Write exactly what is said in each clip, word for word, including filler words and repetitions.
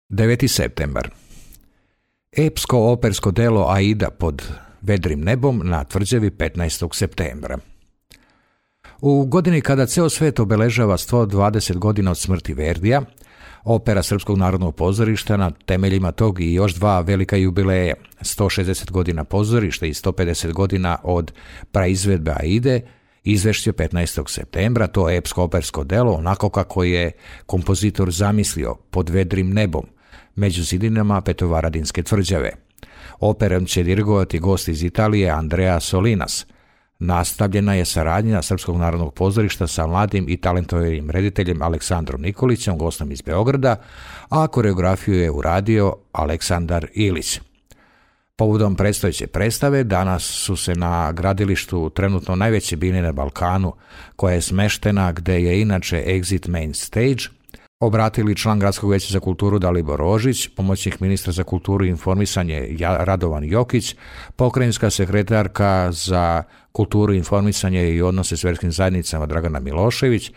deveti septembar. Epsko-opersko delo Aida pod vedrim nebom na Tvrđavi petnaestog septembra. U godini kada ceo svet obeležava sto dvadeset godina od smrti Verdija, opera Srpskog narodnog pozorišta na temeljima tog i još dva velika jubileja, sto šezdeset godina pozorišta i sto pedeset godina od praizvedbe Aide, izvešće petnaestog septembra to epsko-opersko delo onako kako je kompozitor zamislio, pod vedrim nebom, među zidinama Petrovaradinske tvrđave. Operom će dirigovati gost iz Italije Andrea Solinas. Nastavljena je saradnja Srpskog narodnog pozorišta sa mladim i talentovim rediteljem Aleksandrom Nikolićem, gostom iz Beograda, a koreografiju je uradio Aleksandar Ilić. Povodom predstojeće predstave danas su se na gradilištu trenutno najveće bine na Balkanu, koja je smeštena gde je inače Exit Main Stage, obratili član Gradskog veća za kulturu Dalibor Rožić, pomoćnik ministra za kulturu i informisanje Radovan Jokić, pokrajinska sekretarka za kulturu, informisanje i odnose s verskim zajednicama Dragana Milošević,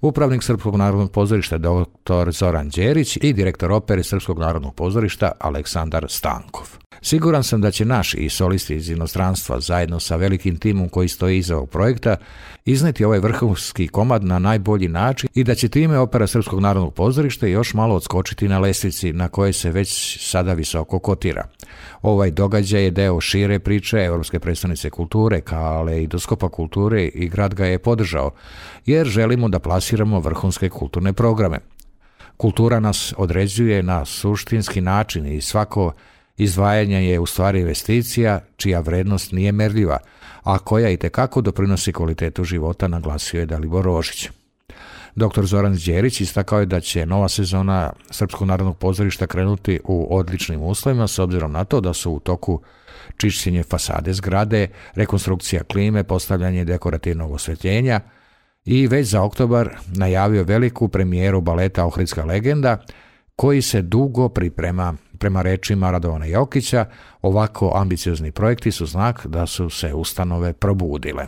upravnik Srpskog narodnog pozorišta doktor Zoran Đerić i direktor opere Srpskog narodnog pozorišta Aleksandar Stankov. Siguran sam da će naši i solisti iz inostranstva zajedno sa velikim timom koji stoji iza ovog projekta izneti ovaj vrhunski komad na najbolji način i da će time opera Srpskog narodnog pozorišta još malo odskočiti na lestvici na kojoj se već sada visoko kotira. Ovaj događaj je deo šire priče Evropske predstavnice kulture, Kaleidoskopa kulture, i grad ga je podržao, jer želimo da plasiramo vrhunske kulturne programe. Kultura nas određuje na suštinski način i svako izdvajanje je u stvari investicija čija vrednost nije merljiva, a koja i tekako doprinosi kvalitetu života, naglasio je Dalibor Rožić. doktor Zoran Đerić istakao je da će nova sezona Srpskog narodnog pozorišta krenuti u odličnim uslovima s obzirom na to da su u toku čišćenje fasade zgrade, rekonstrukcija klime, postavljanje dekorativnog osvetljenja i već za oktobar najavio veliku premijeru baleta Ohridska legenda, koji se dugo priprema. Prema rečima Radovana Jokića, ovako ambiciozni projekti su znak da su se ustanove probudile.